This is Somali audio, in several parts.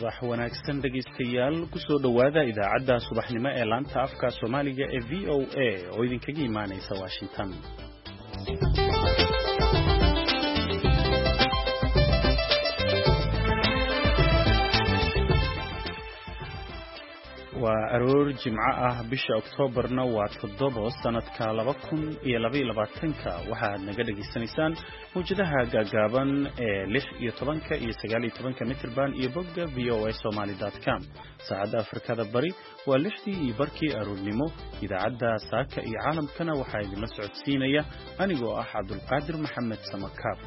Subax wanaagsan dhegaystayaal, kusoo dhowaada idaacadda subaxnimo ee laanta afka Soomaaliga ee VOA oo idinkaga imaanaysa Washington. Waa aroor Jimco ah, bisha Oktoobarna waa 7, sanadka 2022-ka. Waxaad naga dhagaysanaysaan mawjadaha gaagaaban ee 16 iyo 19 mitirban iyo bogga voasomali.com. Saacadda Afrikada Bari waa 6:30 aroornimo. Idaacadda saaka iyo caalamkana waxaa idinla socodsiinaya anigoo ah Cabdulqaadir Maxamed Samakaab.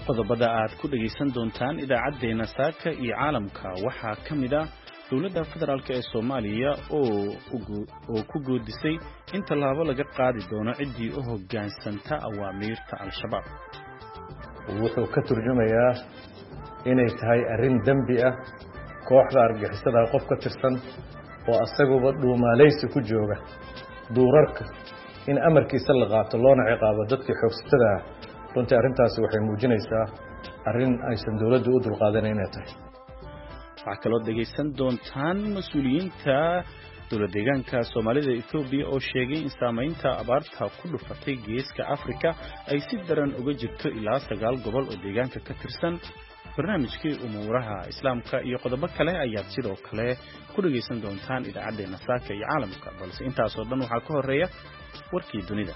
Qodobada aad ku dhegaysan doontaan idaacaddeenna saaka iyo caalamka waxaa ka mid ah dowladda federaalk ee Soomaaliya oo ku goodisay in tallaabo laga qaadi doono ciddii u hoggaansanta awaamiirta Al-Shabaab. Wuxuu ka turjumayaa inay tahay arrin dembi ah kooxda argixisada qof ka tirsan oo asaguba dhuumaalaysi ku jooga duurarka in amarkiisa la qaato loona ciqaabo dadkii xoogsatada ah. Runtii arrintaasi waxay muujinaysaa arrin aysan dowladdu u dulqaadanayn inay tahay. Waxaa kaloo dhegaysan doontaan mas-uuliyiinta dowlad deegaanka Soomaalida Etoobiya oo sheegay in saamaynta abaarta ku dhufatay geeska Afrika ay si daran uga jirto ilaa 9 gobol oo deegaanka ka tirsan. Barnaamijkii umuuraha Islaamka iyo qodobo kale ayaad sidoo kale ku dhegaysan doontaan idaacaddeenna saaka iyo caalamka, balse intaasoo dhan waxaa ka horreeya warkii dunida.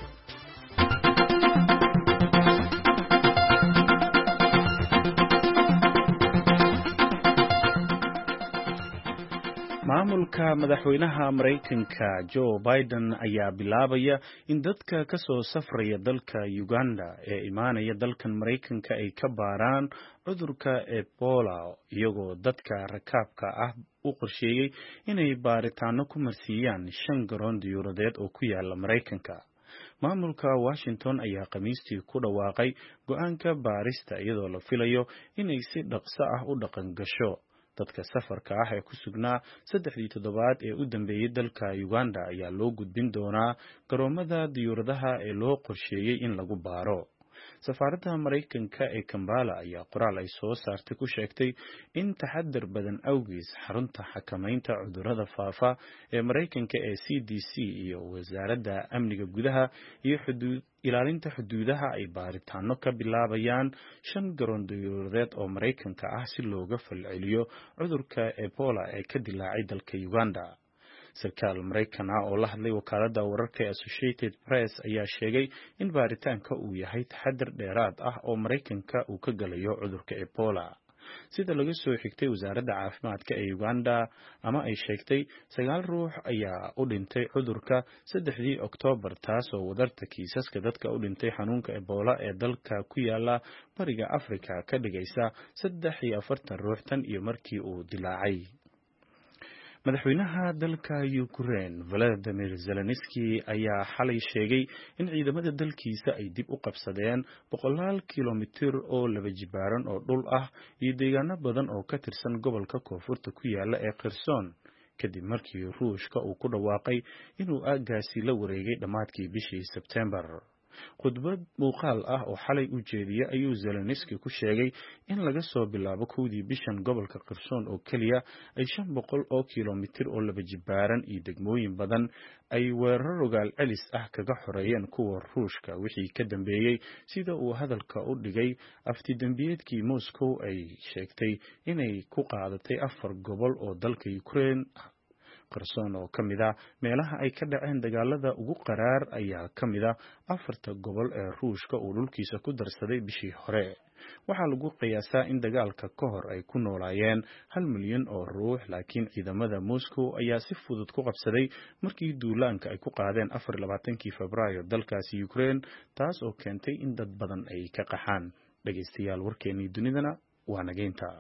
Maamulka madaxweynaha Maraykanka Joe Biden ayaa bilaabaya in dadka ka soo safraya dalka Uganda ee imaanaya dalkan Maraykanka ay ka baaraan cudurka Ebola, iyagoo dadka rakaabka ah u qorsheeyey inay baaritaano ku marsiiyaan 5 garoon diyuuradeed oo ku yaala Maraykanka. Maamulka Washington ayaa Khamiistii ku dhawaaqay go'aanka baarista, iyadoo la filayo inay si dhaqso ah u dhaqan gasho. Dadka safarka ah ee ku sugnaa 3dii toddobaad ee u dambeeyey dalka Uganda ayaa loo gudbin doonaa garoomada diyuuradaha ee loo qorsheeyey in lagu baaro. Safaaradda Maraykanka ee Kampala ayaa qoraal ay soo saartay ku sheegtay in taxadar badan awgiis xarunta xakamaynta cudurrada faafa ee Maraykanka ee CDC iyo Wasaaradda Amniga Gudaha iyo Ilaalinta Xuduudaha ay baaritaano ka bilaabayaan 5 garoon diyuuradeed oo Maraykanka ah si looga falceliyo cudurka Ebola ee ka dilaacay dalka Uganda. Sarkaal Maraykan ah oo la hadlay wakaaladda wararka ee Associated Press ayaa sheegay in baaritaanka uu yahay taxadar dheeraad ah oo Maraykanka uu ka galayo cudurka Ebola. Sida laga soo xigtay wasaaradda caafimaadka ee Uganda ama ay sheegtay, 9 ruux ayaa u dhintay cudurka 3dii Oktoobar, taasoo wadarta kiisaska dadka u dhintay xanuunka Ebola ee dalka ku yaala bariga Afrika ka dhigaysa 43 ruux tan iyo markii uu dilaacay. Madaxweynaha dalka Ukraine Volodymyr Zelensky ayaa xalay sheegay in ciidamada dalkiisa ay dib u qabsadeen boqolaal kilomitir oo laba jibaaran oo dhul ah iyo deegaano badan oo ka tirsan gobolka koonfurta ku yaala ee Kherson, kadib markii Ruushka uu ku dhawaaqay inuu aaggaasi la wareegay dhammaadkii bishii Sebtembar. Khudbad muuqaal ah oo xalay u jeediyey ayuu Zelensky ku sheegay in laga soo bilaabo 1dii bishan gobolka Kherson oo keliya ay 500 oo kilomitir oo laba jibaaran iyo degmooyin badan ay weerar rogaal celis ah kaga xoreeyeen kuwa Ruushka wixii ka dambeeyey, sida uu hadalka u dhigay aftidembiyeedkii Moscow ay sheegtay inay ku qaadatay 4 gobol oo dalka Ukraine ah. Kherson oo ka mid ah meelaha ay ka dhaceen dagaalada ugu qaraar ayaa ka mid ah 4ta gobol ee Ruushka uu dhulkiisa ku darsaday bishii hore. Waxaa lagu qiyaasaa in dagaalka ka hor ay ku noolaayeen 1 milyan oo ruux, laakiin ciidamada Moscow ayaa si fudud ku qabsaday markii duulaanka ay ku qaadeen 24kii Febraayo dalkaasi Ukraine, taas oo keentay in dad badan ay ka qaxaan. Dhegaystayaal, warkeennii dunidana waa nageynta.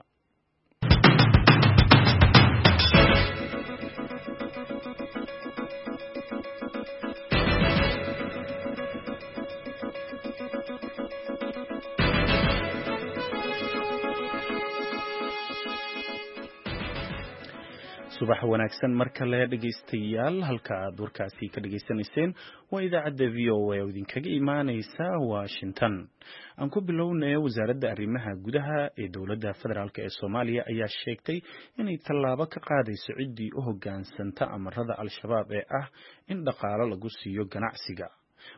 Subax wanaagsan mar kale, dhegaystayaal. Halka aad warkaasi ka dhegaysanayseen waa idaacadda VOA oo idinkaga imaaneysa Washington. Aan ku bilownay, wasaaradda arrimaha gudaha ee dowladda federaalk ee Soomaaliya ayaa sheegtay inay tallaabo ka qaadayso ciddii u hoggaansanta amarada Al-Shabaab ee ah in dhaqaalo lagu siiyo ganacsiga.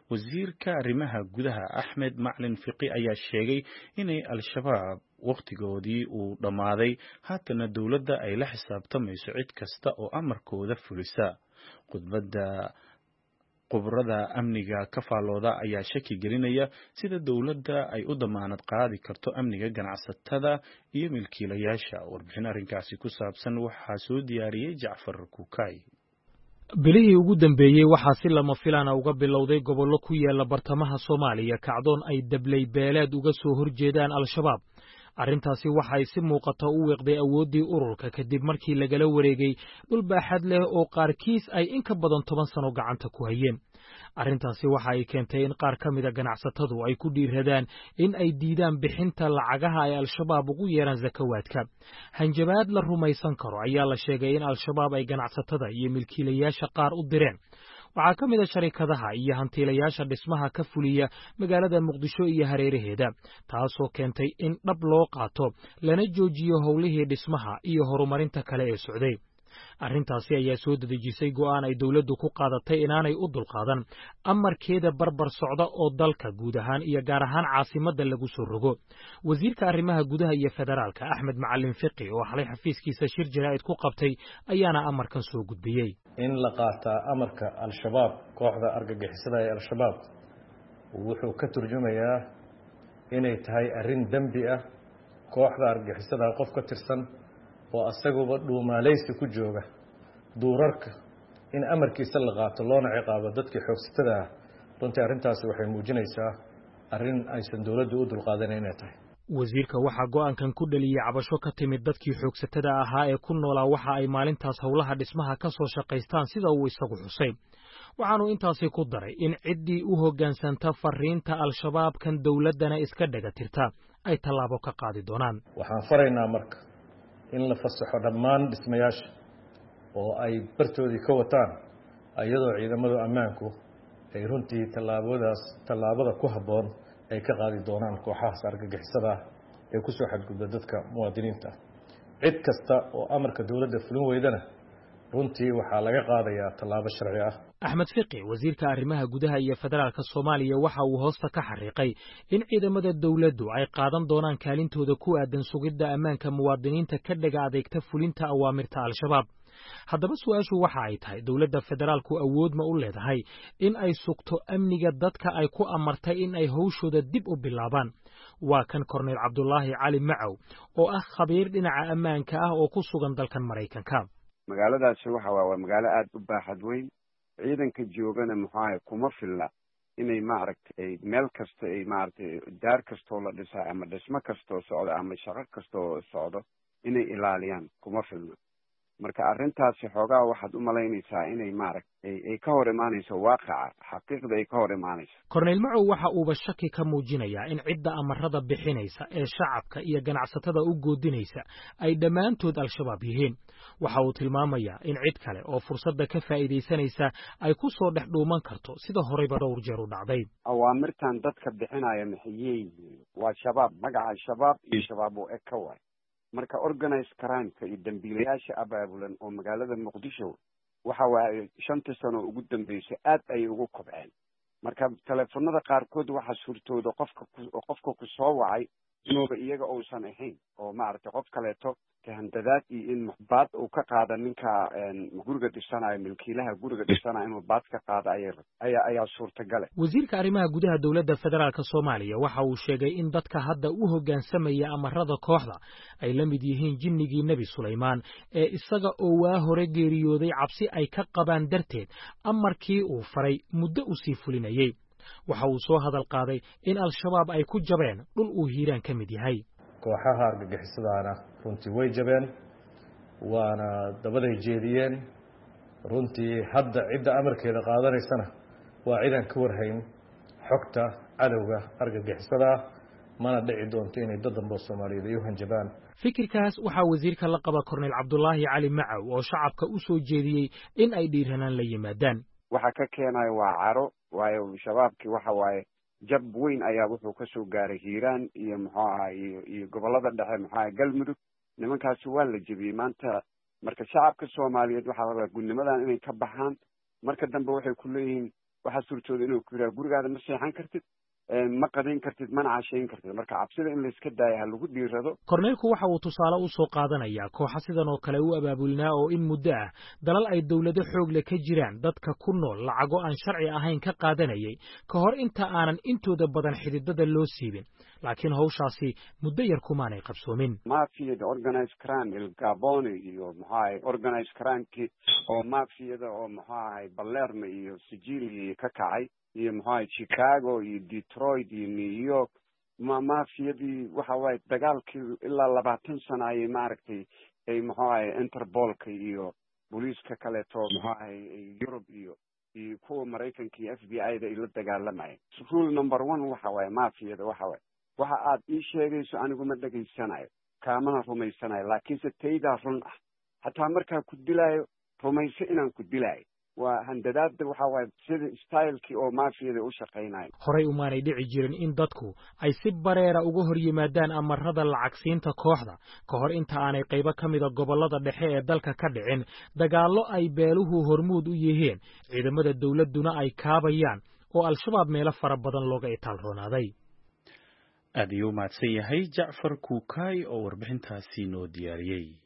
Wasiirka arrimaha gudaha Axmed Macalin Fiqi ayaa sheegay inay Al-Shabaab wakhtigoodii uu dhammaaday, haatana dowladda ay la xisaabtamayso cid kasta oo amarkooda fulisa. Khudbadda khubarada amniga ka faallooda ayaa shaki gelinaya sida dowladda ay u damaanad qaadi karto amniga ganacsatada iyo milkiilayaasha. Warbixin arrinkaasi ku saabsan waxaa soo diyaariyey Jacfar Kukay. Bilihii ugu dambeeyey waxaa si lama filaana uga bilowday gobollo ku yaala bartamaha Soomaaliya kacdoon ay dabley beeleed uga soo horjeedaan Al-Shabaab. Arrintaasi waxay si muuqata u wiiqday awooddii ururka, kadib markii lagala wareegay dhul baaxad leh oo qaarkiis ay in ka badan 10 sano gacanta ku hayeen. Arrintaasi waxa ay keentay in qaar ka mida ganacsatadu ay ku dhiiradaan in ay diidaan bixinta lacagaha ay Al-Shabaab ugu yeeraan sakawaadka. Hanjabaad la rumaysan karo ayaa la sheegay in Al-Shabaab ay ganacsatada iyo milkiilayaasha qaar u direen. Waxaa ka mid a sharikadaha iyo hantiilayaasha dhismaha ka fuliya magaalada Muqdisho iyo hareeraheeda, taasoo keentay in dhab loo qaato lana joojiyo howlihii dhismaha iyo horumarinta kale ee socday. Arrintaasi ayaa soo dedejisay go'aan ay dowladdu ku qaadatay inaanay u dulqaadan amarkeeda barbar socda oo dalka guud ahaan iyo gaar ahaan caasimadda lagu soo rogo. Wasiirka arrimaha gudaha iyo federaalka Axmed Macalin Fiqi, oo xalay xafiiskiisa shir jaraa'id ku qabtay, ayaana amarkan soo gudbiyey. In la qaataa amarka Al-Shabaab, kooxda argagixisada ee Al-Shabaab, wuxuu ka turjumayaa inay tahay arrin dembi ah. Kooxda argagixisada qof ka tirsan oo asaguba dhuumaaleysi ku jooga duurarka in amarkiisa la qaato loona ciqaabo dadkii xoogsatada ah, runtii arrintaasi waxay muujinaysaa arrin aysan dowladdu u dulqaadanayn inay tahay. Wasiirka waxaa go'aankan ku dhaliyey cabasho ka timid dadkii xoogsatada ahaa ee ku noolaa waxa ay maalintaas howlaha dhismaha ka soo shaqaystaan, sida uu isagu xusay. Waxaanu intaasi ku daray in ciddii u hoggaansanta fariinta Al-Shabaabkan dowladdana iska dhaga tirta ay tallaabo ka qaadi doonaan. Waxaan faraynaa marka in la fasaxo dhammaan dhismayaasha oo ay bartoodii ka wataan, iyadoo ciidamadu ammaanku ay runtii tallaabadaas tallaabada ku habboon ay ka qaadi doonaan kooxahaas argagixisada ah ee ku soo xadgudba dadka muwaadiniinta ah. Cid kasta oo amarka dowladda fulin weydana runtii waxaa laga qaadayaa tallaabo sharci ah. Axmed Fiqi, wasiirka arrimaha gudaha iyo federaalka Soomaaliya, waxa uu hoosta ka xariiqay in ciidamada dowladdu ay qaadan doonaan kaalintooda ku aadan sugidda ammaanka muwaadiniinta ka dhaga adeegta fulinta awaamirta Al-Shabaab. Haddaba su-aashu waxa ay tahay, dowladda federaalku awood ma u leedahay in ay sugto amniga dadka ay ku amartay in ay howshooda dib u bilaabaan? Waa kan Korneyl Cabdulaahi Cali Macow oo ah khabiir dhinaca ammaanka ah oo ku sugan dalkan Maraykanka. Magaaladaasi waxa waa magaalo aada u baaxad weyn. Ciidanka joogana, muxuahay, kuma filla inay, maaragtay, meel kasta ay, maaragtay, daar kastoo la dhisaa ama dhismo kastoo socdo ama shaqo kastoo socdo inay ilaaliyaan kuma filna. Marka arrintaasi xoogaa waxaad u malaynaysaa inay, maaragtay, ay ka hor imaanayso waaqaca, xaqiiqda ay ka hor imaanayso. Korneyl Macow waxa uuba shaki ka muujinayaa in cidda amarada bixinaysa ee shacabka iyo ganacsatada u goodinaysa ay dhammaantood Al-Shabaab yihiin. Waxa uu tilmaamayaa in cid kale oo fursadda ka faa'iidaysanaysa ay ku soo dhex dhuuman karto, sida horeyba dhowr jeer u dhacday. Awaamirtan dadka bixinaya maxayey yihiin? Waa Shabaab. Magaca Shabaab iyo Shabaab oo eg ka waay. Marka organized crimeka iyo dambiilayaasha abaabulan oo magaalada Muqdisho waxa waaye 5-tii sano ugu dambeysay aad ayay ugu kobceen. Marka teleefonada qaarkood waxaa suurtooda qofka ku soo wacay inuuba iyaga uusan ahayn oo, maaragtay, qof kaleeto kahandadaad iyo in baad uu ka qaada ninka guriga dhisanayo, milkiilaha guriga dhisanayo inuu baad ka qaado ayaa suurtagale. Wasiirka arrimaha gudaha dowladda federaalka Soomaaliya waxa uu sheegay in dadka hadda u hoggaansamaya amarada kooxda ay la mid yihiin jinnigii Nebi Sulaymaan ee isaga oo waa hore geeriyooday cabsi ay ka qabaan darteed amarkii uu faray muddo u sii fulinayey. Waxa uu soo hadal qaaday in Al-Shabaab ay ku jabeen dhul uu Hiiraan ka mid yahay. Kooxaha argagixisadaana runtii way jabeen, waana dabaday jeediyeen. Runtii hadda cidda amarkeeda qaadanaysana waa cidaan ka warhayn xogta cadowga argagixisada ah. Mana dhici doonto inay dad dambe oo Soomaaliyeed ay u hanjabaan. Fikirkaas waxaa wasiirka la qaba Korneyl Cabdulaahi Cali Macow oo shacabka u soo jeediyey in ay dhiiranaan la yimaadaan. Waxa ka keenayo waa caro, waayo shabaabkii waxa waaye jab weyn ayaa wuxuu ka soo gaaray Hiiraan iyo muxuu ahay iyo gobollada dhexe, muxuu ahay Galmudug. Nimankaasi waa la jebiyey maanta. Marka shacabka Soomaaliyeed waxaa la rabaa gudnimadan inay ka baxaan. Marka dambe waxay ku leeyihiin, waxaa suurtooda inuu ku yidhaha gurigaada ma seexan kartid, ma qadayn kartid, mana cashayn kartid. Marka cabsida in layska daayo, ha lagu dhiirado. Korneylku waxa uu tusaale u soo qaadanayaa kooxa sidan oo kale u abaabulnaa oo in muddo ah dalal ay dowlado xoog leh ka jiraan dadka ku nool lacago aan sharci ahayn ka qaadanayay ka hor inta aanan intooda badan xididada loo siibin, laakiin hawshaasi muddo yar kumaanay qabsoomin. Mafiyada organized crime Il Gabone iyo muxuu ahay organized crimekii oo mafiyada oo muxuu ahay Balermo iyo Sicilia ka kacay iyo muxuu ahay Chicago iyo Detroit iyo New York, ma mafiyadii waxa waaye dagaalkii ilaa 20 sano ayay maaragtay ay muxuu ahay Interpolka iyo booliiska kaleeto muxuu ahay Yurub iyo kuwa Maraykanka iyo FBI da ay la dagaalamayeen. Rule number one waxa waaye mafiyada waxa waaye, waxa aad ii sheegayso anigu ma dhegaysanayo, kaamana rumaysanayo, laakiinse taydaa run ah. Xataa markaa ku dilaayo, rumayso inaan ku dilaayo. Waa handadaada, waxa waaye sida stylekii oo mafiyada u shaqaynayo. Horey umaanay dhici jirin in dadku ay si bareera uga hor yimaadaan amarada lacagsiinta kooxda ka hor inta aanay qaybo ka mida gobollada dhexe ee dalka ka dhicin dagaallo ay beeluhu hormuud u yihiin, ciidamada dowladduna ay kaabayaan, oo Al-Shabaab meelo fara badan looga itaal roonaaday. Aad ayuu u mahadsan yahay Jacfar Kuukaay oo warbixintaasi noo diyaariyey.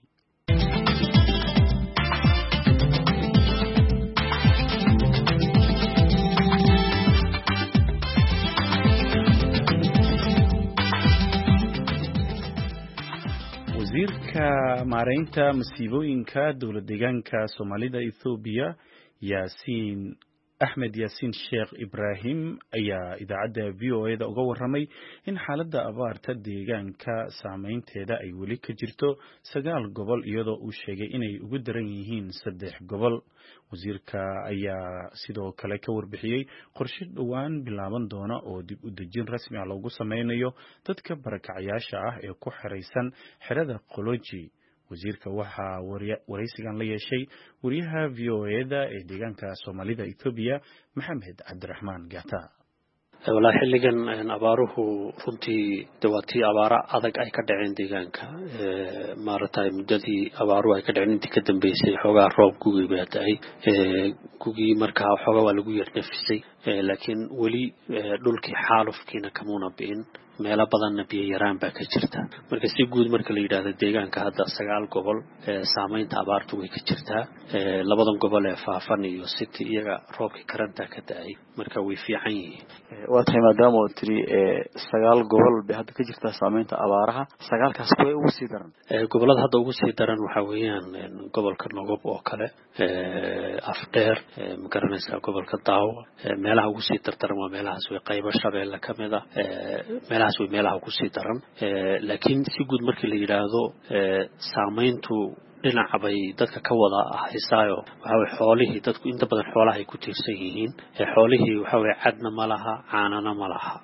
Wasiirka maareynta masiibooyinka dowlad deegaanka Soomaalida Ethoobiya, Yaasiin Axmed Yaasiin Sheekh Ibraahim, ayaa idaacadda VOA da uga warramay in xaaladda abaarta deegaanka saameynteeda ay weli ka jirto sagaal gobol, iyadoo uu sheegay inay ugu daran yihiin saddex gobol. Wasiirka ayaa sidoo kale ka warbixiyey qorshe dhowaan bilaaban doona oo dib u dejin rasmi ah loogu sameynayo dadka barakacayaasha ah ee ku xeraysan xerada Qoloji. Wasiirka waxaa waraysigan la yeeshay wariyaha VOA da ee deegaanka Soomaalida Ethoobiya, Maxamed Cabdiraxmaan Gata. Wallaahi xilligan abaaruhu runtii de waa tii abaaro adag ay ka dhaceen deegaanka. Maaragtay muddadii abaaruhu ay ka dhaceen intii ka dambeysay xoogaa roob gugii baa da-ay. Gugii markaa xoogaa waa lagu yar nafisay, laakiin weli dhulkii xaalufkiina kamuuna bi'in, meelo badanna biyo yaraan baa ka jirta. Marka si guud marka la yidhaahdo deegaanka hadda sagaal gobol saameynta abaartu way ka jirtaa. Labadan gobol ee Faafan iyo City iyaga roobkii karantaa ka da-ay, marka way fiican yihiin. Waa tahay, maadaama oo tiri sagaal gobol bay hadda ka jirtaa saameynta abaaraha, sagaalkaas kuway ugu sii daran? Gobollada hadda ugu sii daran waxaa weeyaan gobolka Nogob oo kale, Afdheer, ma garanaysaa, gobolka Daawo. Meelaha ugu sii dardaran waa meelahaas way, qaybo Shabeelle ka mid ah, meelahaas way meelaha ugu sii daran. Laakiin si guud markii la yidhaahdo saameyntu dhinaca bay dadka ka wada haysaayo. Waxa weye xoolihii, dadku inta badan xoolaha ay ku tiirsan yihiin, xoolihii waxa weye cadna ma laha, caanana ma laha.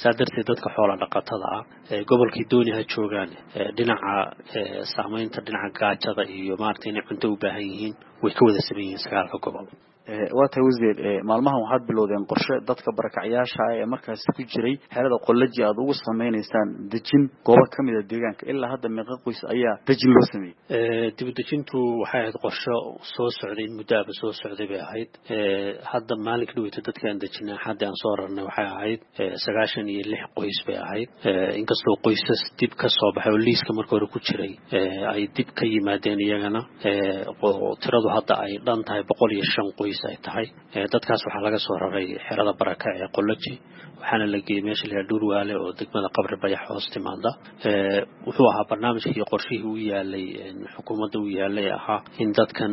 Saa darteed dadka xoola dhaqatada ah gobolkii dooni ha joogaan, dhinaca saameynta dhinaca gaajada iyo maaragtay inay cunto u baahan yihiin way ka wada saman yihiin sagaalka gobol. Waa tahay wasiir, maalmahan waxaad bilowdeen qorshe dadka barakacyaasha ah ee markaasi ku jiray xerada Qolaji aad ugu sameynaysaan dejin goobo ka mid a deegaanka. Ilaa hadda meeqa qoys ayaa dejin loo sameeyey? Dib u dejintu waxay ahayd qorshe soo socday, in muddo aba soo socday bay ahayd. Hadda maalinka dhaweyta dadka aan dejinay xaddi aan soo rarnay waxay ahayd 96 qoys bay ahayd, inkastoo qoysas dib ka soo baxay oo liiska marka hore ku jiray ay dib ka yimaadeen iyagana, tiradu hadda ay dhan tahay 105 qoys ay tahay. Dadkaas waxaa laga soo raray xerada Baraka ee Qoloji, waxaana la geeyey meesha la yidhaha Dhurwaale oo degmada Qabri Bayax hoos timaada. Wuxuu ahaa barnaamijkii qorshihii u yaalay xukuumadda u yaalay ahaa in dadkan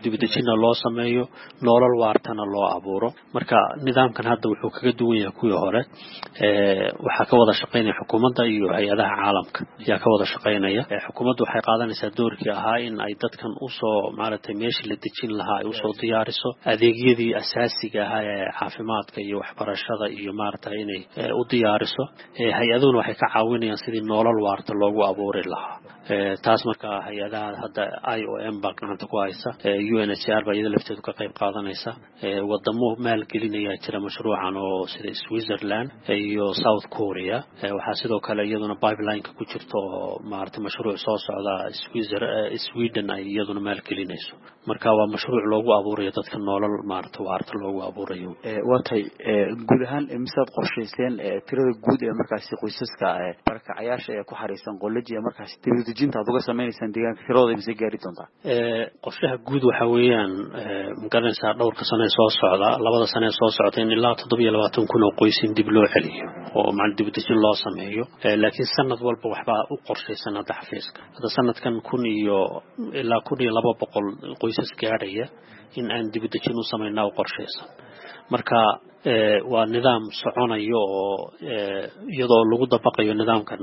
dibudejinna loo sameeyo, nolol waartana loo abuuro. Marka nidaamkan hadda wuxuu kaga duwan yahay kuwii hore, waxaa ka wada shaqaynaya xukuumadda iyo hay-adaha caalamka ayaa ka wada shaqaynaya. Xukuumaddu waxay qaadanaysaa doorkii ahaa in ay dadkan usoo maaragtay maaragtay meeshii la dejin lahaa ay usoo diyaariso, adeegyadii asaasiga ahaa ee caafimaadka iyo waxbarashada iyo maaragtay inay u diyaariso. Hay-aduhuna waxay ka caawinayaan sidii nolol waarta loogu abuuri lahaa. Taas marka hay-adaha hadda IOM baa gacanta ku haysa, UNHCR baa iyada lafteedu ka qayb qaadanaysa. Wadamo maalgelinayaa jira mashruucan oo sida Switzerland iyo South Korea. Waxaa sidoo kale iyaduna pipeline-ka ku jirta oo maaragtay mashruuc soo socda Sweden ay iyaduna maalgelinayso. Marka waa mashruuc loogu abuurayo dadka nolol maaragtay waarta loogu abuurayo. Waa tahay, guud ahaan misaad qorshayseen tirada guud ee markaasi qoysaska barakacayaasha ee ku xariisan Qolaji ee markaasi dibadejinta aad uga sameynaysaan deegaanka, tiradooda mise gaari doontaa? Qorshaha guud waxa weeyaan, magaranaysaa, dhowrka sano ee soo socda, 2da sano ee soo socda, in ilaa 27,000 oo qoys in dib loo celiyo oo macna dibadejin loo sameeyo. Laakiin sanad walba waxbaa u qorshaysan. Hadda xafiiska hadda sanadkan 1,000 iyo ilaa 1,200 qoysas gaadhaya in aan dibadejin u samaynaa u qorshaysan. Marka waa nidaam soconayo oo iyadoo lagu dabaqayo nidaamkan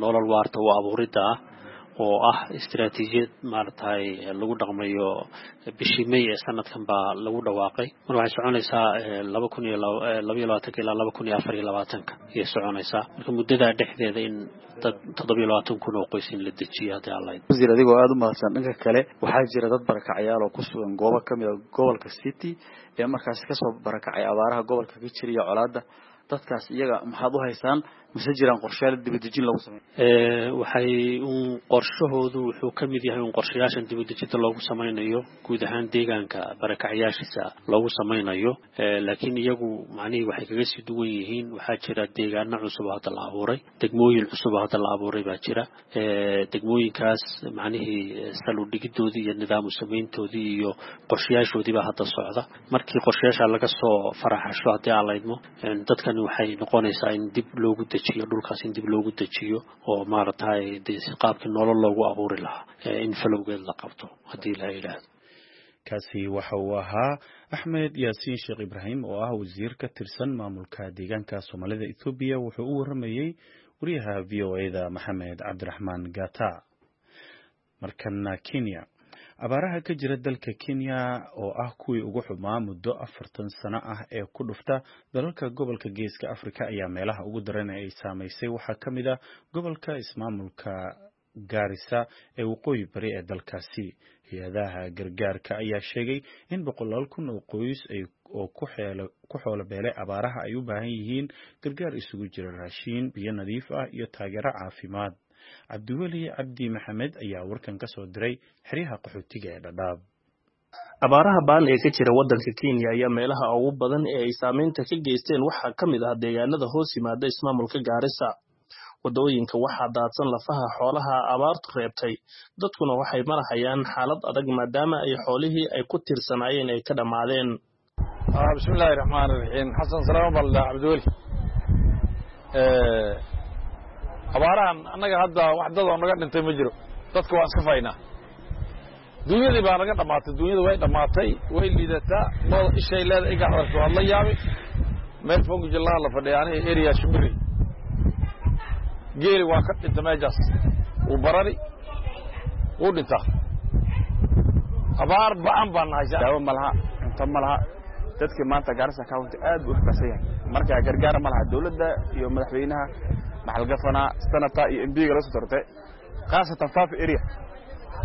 nolol waarta u abuuridda ah oo ah istiraatiijiyad maaragtay lagu dhaqmayo. Bishii May ee sanadkan baa lagu dhawaaqay. Marka waxay soconaysaa 2022 ilaa 2024 ayay soconaysaa. Marka muddadaa dhexdeeda in dad 27,000 oo qoys in la dejiyo haddii Alla. Wasiir, adigoo aada u mahadsan, dhanka kale waxaa jira dad barakacayaal oo ku sugan goobo kamid a gobolka City ee markaasi kasoo barakacay abaaraha gobolka ka jira iyo colaadda. Dadkaas iyaga maxaad u haysaan, mise jiraan qorshayaal dibadejin lagu sameeyo? Waxay un qorshahoodu wuxuu ka mid yahay un qorshayaashan dibadejinta loogu samaynayo guud ahaan deegaanka barakacyaashiisa loogu samaynayo. Laakiin iyagu macnihii waxay kaga sii duwan yihiin, waxaa jira deegaano cusub oo hadda la abuuray, degmooyin cusub oo hadda la abuuray baa jira. Degmooyinkaas macnihii sal u dhigidoodii iyo nidaam u samayntoodii iyo qorshayaashoodii baa hadda socda. Markii qorshayaasha laga soo faraxasho, haddii aan laydmo, dadkani waxay noqonaysaa in dib loogu dejiyo dhulkaas, in dib loogu dejiyo oo maaragtay dee qaabkii nolol loogu abuuri lahaa in falowgeed la qabto haddii la yidhaahdo. Kaasi waxa uu ahaa Axmed Yaasiin Sheekh Ibraahim oo ah wasiir ka tirsan maamulka deegaanka Soomaalida Ethoobiya. Wuxuu u waramayey wariyaha VOA-da Maxamed Cabdiraxmaan Gata. Markana Kenya. Abaaraha ka jira dalka Kenya oo ah kuwii ugu xumaa muddo 40 sano ah ee ku dhufta dalalka gobolka Geeska Afrika ayaa meelaha ugu daran ee ay saamaysay waxaa ka mid ah gobolka ismaamulka Gaarisa ee waqooyi bari ee dalkaasi. Hay-adaha gargaarka ayaa sheegay in boqolaal kun oo qoys oo ku xoolo beelay abaaraha ay u baahan yihiin gargaar isugu jira raashiin, biyo nadiif ah iyo taageero caafimaad. Cabdiweli Cabdi Maxamed ayaa warkan ka soo diray xeryaha qaxootiga ee Dhadhaab. Abaaraha ba'an ee ka jira waddanka Kenya ayaa meelaha ugu badan ee ay saameynta ka geysteen waxaa ka mid ah deegaanada hoos yimaada ismaamulka Gaarisa. Waddooyinka waxaa daadsan lafaha xoolaha abaartu reebtay, dadkuna waxay marahayaan xaalad adag maadaama ay xoolihii ay ku tiirsanaayeen ay ka dhammaadeen. Bismillahi raxmaani raxiim. Xasan Salaamo baldha Cabdiweli. Abaarahan annaga hadda wax dad oo naga dhintay ma jiro, dadka waan iska faynaa. Dunyadii baa naga dhammaatay, dunyada way dhammaatay, way liidataa. Looda ishay leeda iga adarto waad la yaabi. Meel fogjillaha la fadhiya aniga area Shimbiri, geeli waa ka dhinta meeshaas, wuu barari, wuu dhintaa. Abaar ba'an baan nahay. Daawo ma laha, cunto ma laha. Dadkii maanta Gaarisa County aad buu u xukaasan yahay. Marka gargaar ma laha, dawladda iyo madaxweynaha, maxal gafanaa, senator iyo MP-ga la soo doortay, khaasatan Fafi area,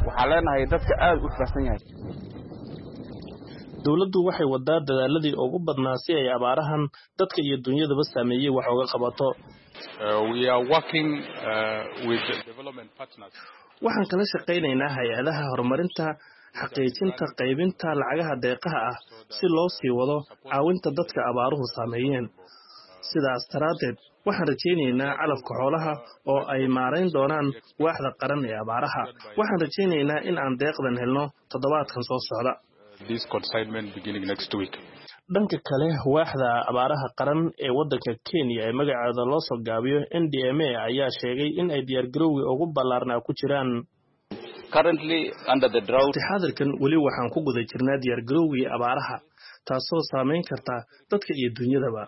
waxaan leenahay dadka aad u xukaasan yahay. Dowladdu waxay wadaa dadaaladii ugu badnaa si ay abaarahan dadka iyo dunyadaba saameeyey wax uga qabato. Waxaan kala shaqaynaynaa hay-adaha horumarinta xaqiijinta qaybinta lacagaha deeqaha ah si loo sii wado caawinta dadka abaaruhu saameeyeen. Sidaas daraaddeed waxaan rajaynaynaa calafka xoolaha oo ay maarayn doonaan waaxda qaran ee abaaraha. Waxaan rajaynaynaa in aan deeqdan helno toddobaadkan soo socda. Dhanka kale, waaxda abaaraha qaran ee waddanka Kenya ee magaceeda loo soo gaabiyo NDMA ayaa sheegay in ay diyaargarowgii ugu ballaarnaa ku jiraan. Xaadirkan weli waxaan ku guda jirnaa diyaargarowgii abaaraha, taasoo saameyn karta dadka iyo dunyadaba.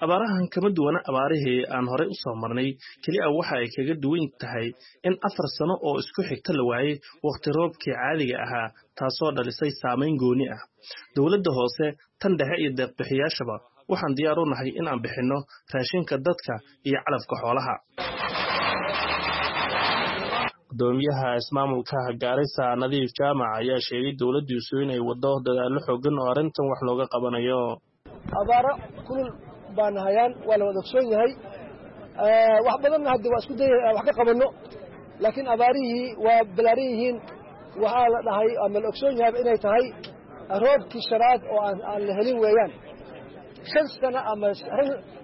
Abaarahan kama duwana abaarihii aan horey u soo marnay, keliya waxa ay kaga duwan tahay in 4 sano oo isku xigta la waayey wakhti roobkii caadiga ahaa, taasoo dhalisay saamayn gooni ah. Dowladda hoose, tan dhexe iyo deeqbixiyaashaba waxaan diyaar u nahay in aan bixinno raashinka dadka iyo calafka xoolaha. Gudoomiyaha ismaamulka Gaarisa Nadiif Jaamac ayaa sheegay dowladdiisu inay waddo dadaallo xooggan oo arrintan wax looga qabanayo. Abaaro kulul baana hayaan, waa la wada ogsoon yahay. Wax badanna hadda waa isku dayay wax ka qabanno, laakiin abaarihii waa balaaran yihiin. Waxaa la dhahay ama la ogsoon yahay inay tahay roobkii shanaad oo aan la helin weeyaan. 5 sano ama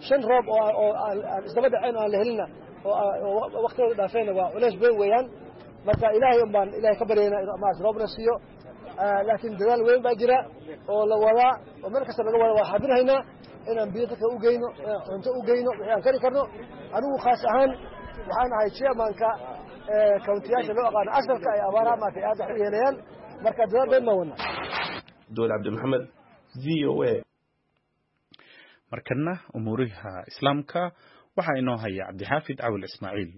5 roob oo aan isdaba dhaceen oo aan la helinna oo waqtigooda dhaafeenna waa culays weyn weeyaan. Marka Ilaahay un baan Ilaahay ka baryaynaa inuu maarata roobna siiyo, laakiin dadaal weyn baa jira oo la wadaa oo meel kasta laga wada. Waa xabinhaynaa inaan biyo dadka u geyno, inaan cunto u geyno wixii aan kari karno. Anigu khaas ahaan waxaan ahay chairmanka kauntiyaasha loo aqaano asalka ay abaaraha maarata aad wax u yeelayaan. Marka dadaal weyn baan wadnaa. Abduul Cabdi Maxamed, VOA. Markana umuuriha Islaamka waxaa inoo haya Cabdixaafid Cawil Ismaaciil.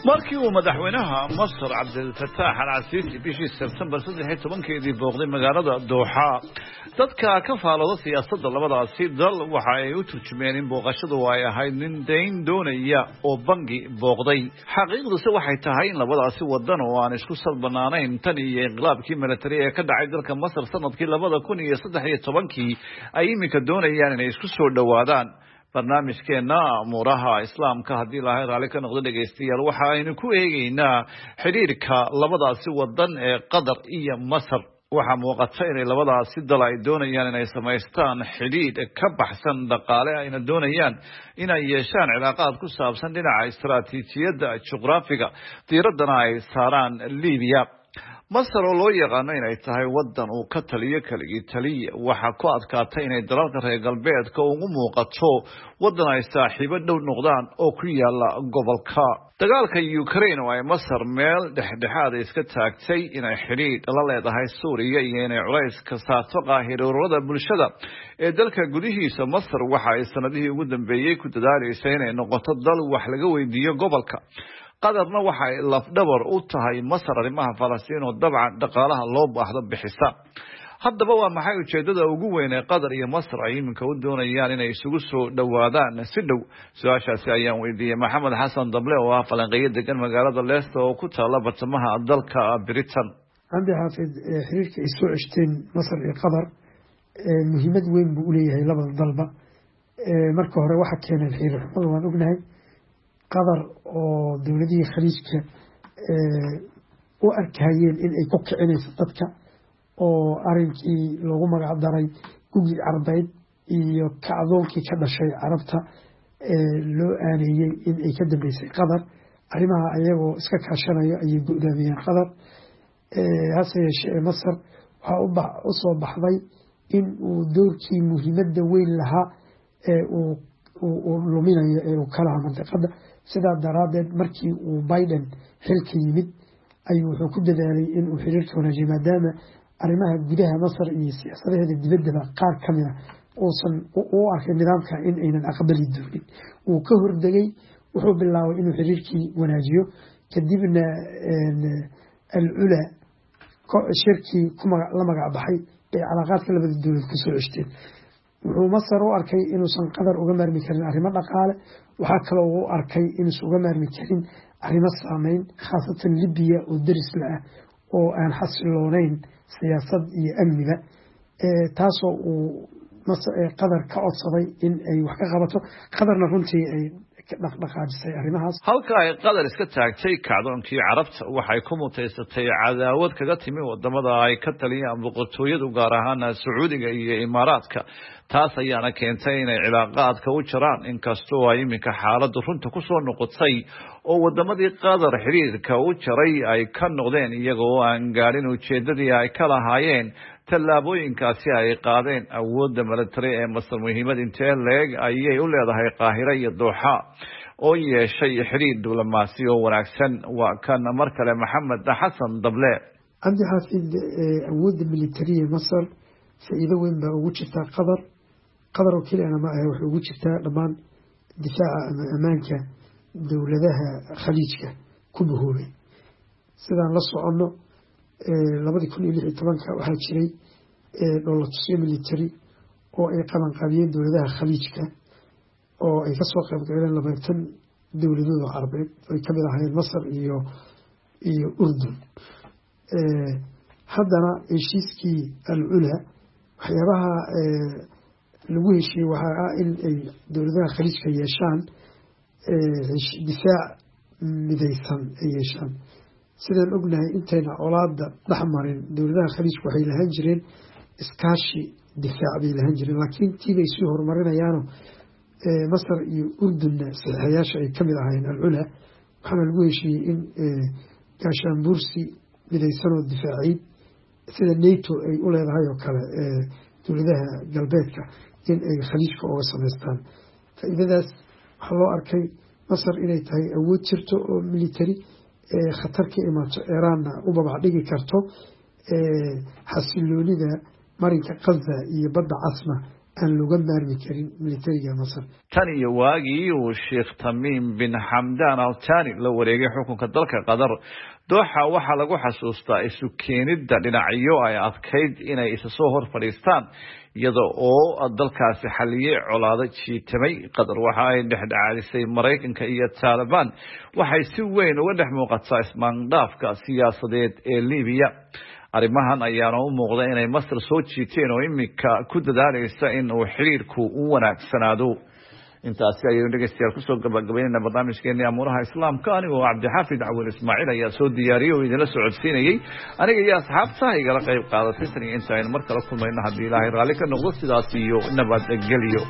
Markii uu madaxweynaha Masar Cabdilfataax Al-Casiisi bishii Sebtembar 13-keedii booqday magaalada Dooxa, dadka ka faalooda siyaasadda labadaasi dal waxa ay u turjumeen in booqashadu ay ahayd nin dayn doonaya oo bangi booqday. Xaqiiqduse waxay tahay in labadaasi wadan oo aan isku salbanaanayn tan iyo inqilaabkii milatari ee ka dhacay dalka Masar sanadkii 2013-kii ay iminka doonayaan inay isku soo dhowaadaan. Barnaamijkeena amuuraha Islaamka, haddii Ilaahay raalli ka noqdo, dhegaystayaal, waxa aynu ku eegeynaa xidhiirka labadaasi wadan ee Qatar iyo Masar. Waxaa muuqata inay labadaasi dal ay doonayaan inay samaystaan xidhiidh ka baxsan dhaqaale, ayna doonayaan inay yeeshaan cilaaqaad ku saabsan dhinaca istaraatiijiyadda juqraafiga, diiraddana ay saaraan Libiya. Masar oo loo yaqaano inay tahay wadan uu ka taliyo keligii taliya, waxaa ku adkaatay inay dalalka reer galbeedka ugu muuqato wadan ay saaxiibo dhow noqdaan oo ku yaala gobolka. Dagaalka Ukraine oo ay Masar meel dhexdhexaad iska taagtay, inay xidhiidh la leedahay Suuriya iyo inay culays ka saarto Qaahiro ururada bulshada ee dalka gudihiisa, Masar waxa ay sanadihii ugu dambeeyey ku dadaalaysay inay noqoto dal wax laga weydiiyo gobolka. Qatarna waxa ay lafdhabar u tahay Masar arrimaha Falastiin oo dabcan dhaqaalaha loo baahdo bixisa. Haddaba waa maxay ujeedada ugu weyn ee Qatar iyo Masar ay iminka u doonayaan inay isugu soo dhowaadaan si dhow? Su-aashaasi ayaan weydiiyey Maxamed Xasan Dable oo ah falanqeeyo degan magaalada Leicester oo ku taala bartamaha dalka Britain. Cabdi Xaafid, xiriirka ay soo ceshteen Masar iyo Qatar muhiimad weyn buu uleeyahay labada dalba. Marka hore waxa keeneen xiriir xumada waan ognahay. Qatar oo dowladihii Khaliijka u arkayeen in ay ku kicinayso dadka, oo arinkii loogu magac daray Gugii Carbeed iyo kacdoonkii ka dhashay Carabta loo aaneeyey in ay ka dambeysay Qatar, arrimaha ayagoo iska kaashanayo ayay go-daamiyeen Qatar. Hase yeeshee Masar waxaa u soo baxday in uu doorkii muhiimadda weyn lahaa ee uu luminayo ee uu ka lahaa mandiqada. Sidaa daraaddeed markii uu Biden xilka yimid ayuu wuxuu ku dadaalay in uu xiriirka wanaajiyo, maadaama arrimaha gudaha Masar iyo siyaasadaheeda dibaddaba qaar ka mida uusan u arkay nidaamka in aynan aqbali doonin. Wuu ka hordegay, wuxuu bilaabay inuu xiriirkii wanaajiyo. Kadibna Al-Cula shirkii la magac baxay bay calaaqaadka labada dowlad kusoo ceshteen. Wuxuu Masar u arkay inuusan Qatar uga maarmi karin arrimo dhaqaale. Waxaa kaloo uu arkay inuusan uga maarmi karin arrimo saameyn, khaasatan Libiya oo derisla ah oo aan xasiloonayn siyaasad iyo amniba, taasoo uu Qatar ka codsaday in ay wax ka qabato. Qatarna runtii ay dhaqdhaqaajisay arrimahaas. Halka ay Qatar iska taagtay kacdoonkii Carabta, waxay ku mutaysatay cadaawad kaga timi wadamada ay ka taliyaan boqortooyadu, gaar ahaan Sacuudiga iyo Imaaraadka. Taas ayaana keentay inay cilaaqaadka u jaraan, inkastoo ay iminka xaaladdu runta ku soo noqotay oo wadamadii Qatar xiriirka u jaray ay ka noqdeen, iyaga oo aan gaadhin ujeedadii ay ka lahaayeen. Tallaabooyinkaasi ay qaadeen awoodda milatari ee Masar muhiimad intee leeg ayay u leedahay Qaahira iyo Dooxa oo yeeshay xidhiir diblomaasi oo wanaagsan? Waa kan mar kale Maxamed Xasan Dable. Cabdi Xaafid, awoodda militariya Masar faa'iido weyn baa ugu jirtaa Qatar. Qatar oo keliyana ma ahe, waxay ugu jirtaa dhammaan difaaca ama ammaanka dowladaha Khaliijka ku bahoobay. Sidaan la soconno, 2016-ka waxaa jiray dhoolatusyo military oo ay qabanqaabiyeen dowladaha Khaliijka, oo ay kasoo qayb galeen 20 dowladood oo Carabeed, ay kamid ahaayeen Masar iyo Urdun. Haddana heshiiskii Al Cula, waxyaabaha lagu heshiiyey waxaa ah in ay dowladaha Khaliijka yeeshaan difaac midaysan ay yeeshaan. Sidaan ognahay, intayna colaada dhex marin, dowladaha Khaliijka waxay lahaan jireen iskaashi difaac bay lahaan jireen, laakiin tiibay sii horumarinayaano Masar iyo Urdunna saxiixayaasha ay kamid ahaayeen Al Cula. Waxaana lagu heshiiyey in gaashaanbuursi midaysanoo difaaciid, sida NATO ay u leedahay oo kale dowladaha galbeedka, in ay Khaliijka oga samaystaan. Faa'iidadaas waxaa loo arkay Masar inay tahay awood jirto oo military, khatar ka imaato Eraanna u babac dhigi karto, xasiloonida marinka Qaza iyo Badda Casna aan looga maarmi karin militariga Masar. Tan iyo waagii uu Sheekh Tamiim bin Xamdaan Al Thani la wareegay xukunka dalka Qatar, Dooxa waxaa lagu xasuustaa isu keenidda dhinacyo ay adkayd inay isa soo hor fadhiistaan, iyada oo dalkaasi xaliyey colaado jiitamay. Qatar waxa ay dhexdhexaadisay Maraykanka iyo Taalibaan, waxay si weyn uga dhex muuqataa ismaandhaafka siyaasadeed ee Libiya. Arrimahan ayaana u muuqda inay Masar soo jiiteen oo iminka ku dadaalaysa in uu xiriirku u wanaagsanaado. Intaasi ayaynu dhegeystayaal kusoo gabagabaynayna barnaamijkeeni Amuuraha Islaamka. Anigoo Cabdixaafid Cawil Ismaaciil ayaa soo diyaariyey oo idinla socodsiinayey. Aniga iyo asxaabta igala qayb qaadatay tan iyo inta aynu mar kala kulmayno, haddii Ilaahay raalli ka noqdo, sidaas iyo nabadgelyo.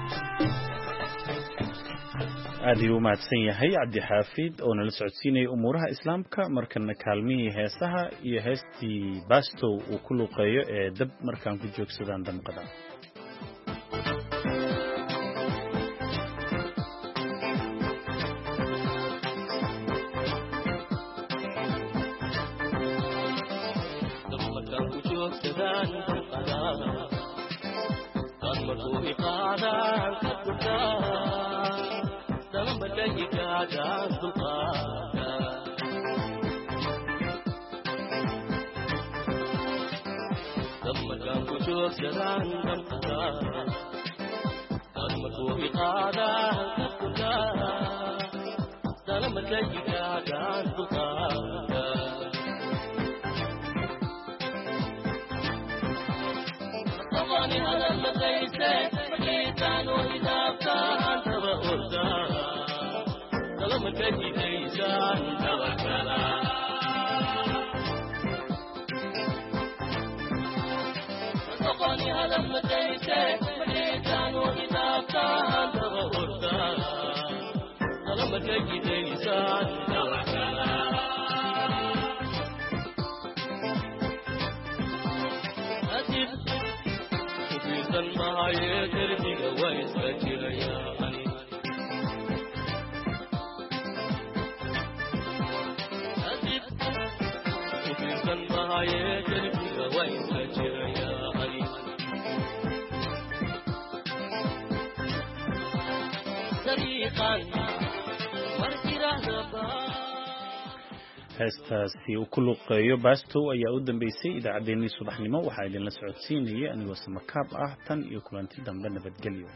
Aad ayuu u mahadsan yahay Cabdixaafid oo nala socodsiinayay Umuuraha Islaamka. Markana kaalmihii heesaha iyo heestii Bastow uu ku luuqeeyo ee "Dab Markaan Ku Joogsadaan Damqada". Heestaasi uu ku luuqeeyo Bastow ayaa u dambeysay idaacaddeenii subaxnimo. Waxaa idinla socodsiinaya anigoo Samakaab ah. Tan iyo kulanti dambe, nabadgelyo.